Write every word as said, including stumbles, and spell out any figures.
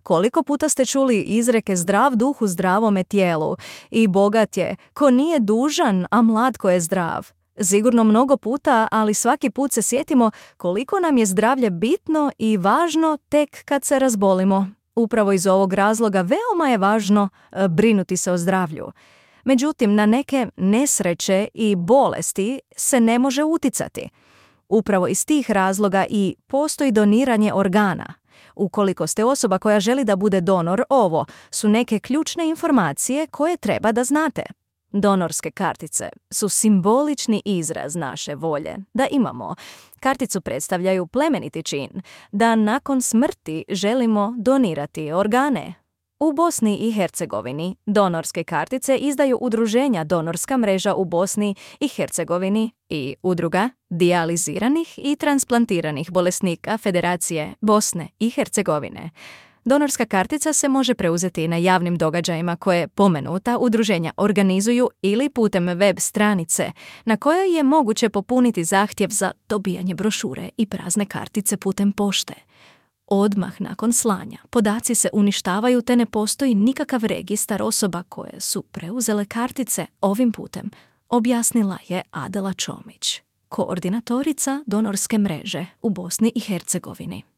Koliko puta ste čuli izreke zdrav duh u zdravome tijelu i bogat je ko nije dužan, a mlad ko je zdrav? Sigurno mnogo puta, ali svaki put se sjetimo koliko nam je zdravlje bitno i važno tek kad se razbolimo. Upravo iz ovog razloga veoma je važno e, brinuti se o zdravlju. Međutim, na neke nesreće i bolesti se ne može uticati. Upravo iz tih razloga i postoji doniranje organa. Ukoliko ste osoba koja želi da bude donor, ovo su neke ključne informacije koje treba da znate. Donorske kartice su simbolični izraz naše volje da imamo. Karticu predstavljaju plemeniti čin, da nakon smrti želimo donirati organe. U Bosni i Hercegovini donorske kartice izdaju udruženja Donorska mreža u Bosni i Hercegovini i udruga dijaliziranih i transplantiranih bolesnika Federacije Bosne i Hercegovine. Donorska kartica se može preuzeti na javnim događajima koje pomenuta udruženja organizuju ili putem web stranice na kojoj je moguće popuniti zahtjev za dobijanje brošure i prazne kartice putem pošte. Odmah nakon slanja podaci se uništavaju te ne postoji nikakav registar osoba koje su preuzele kartice ovim putem, objasnila je Adela Čomić, koordinatorica Donorske mreže u Bosni i Hercegovini.